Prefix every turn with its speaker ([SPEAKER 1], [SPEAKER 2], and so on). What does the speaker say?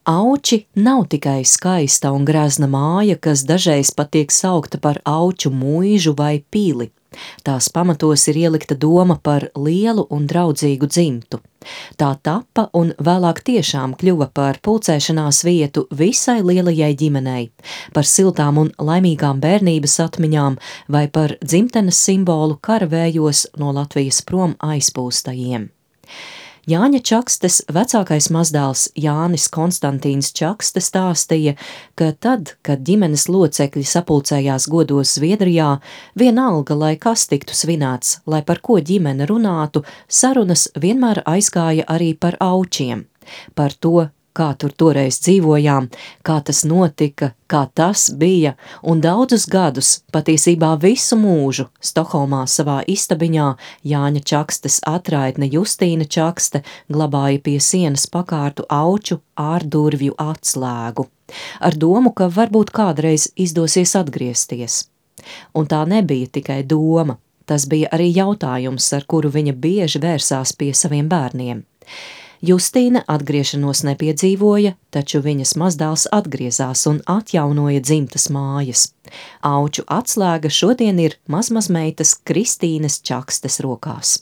[SPEAKER 1] Auči nav tikai skaista un grazna māja, kas dažreiz pat tiek saukta par auču mūžu vai pili. Tās pamatos ir ielikta doma par lielu un draudzīgu dzimtu. Tā tappa un vēlāk tiešām kļuva par pulcēšanās vietu visai lielajai ģimenei, par siltām un laimīgām bērnības atmiņām vai par dzimtenes simbolu karavējos no Latvijas prom aizpūstajiem. Jāņa Čakstes vecākais mazdēls Jānis Konstantīns Čakste stāstīja, ka tad, kad ģimenes locekļi sapulcējās godos Zviedrijā, vienalga, lai kas tiktu svinēts, lai par ko ģimene runātu, sarunas vienmēr aizgāja arī par aučiem, par to, kā tur toreiz dzīvojām, kā tas notika, kā tas bija, un daudzus gadus, patiesībā visu mūžu, Stokholmā savā istabiņā Jāņa Čakstes atraitne Justīna Čakste glabāja pie sienas pakārtu auču ārdurvju atslēgu, ar domu, ka varbūt kādreiz izdosies atgriezties. Un tā nebija tikai doma, tas bija arī jautājums, ar kuru viņa bieži vērsās pie saviem bērniem. Justīna atgriešanos nepiedzīvoja, taču viņas mazdēls atgriezās un atjaunoja dzimtas mājas. Auču atslēga šodien ir mazmazmeitas Kristīnes Čakstes rokās.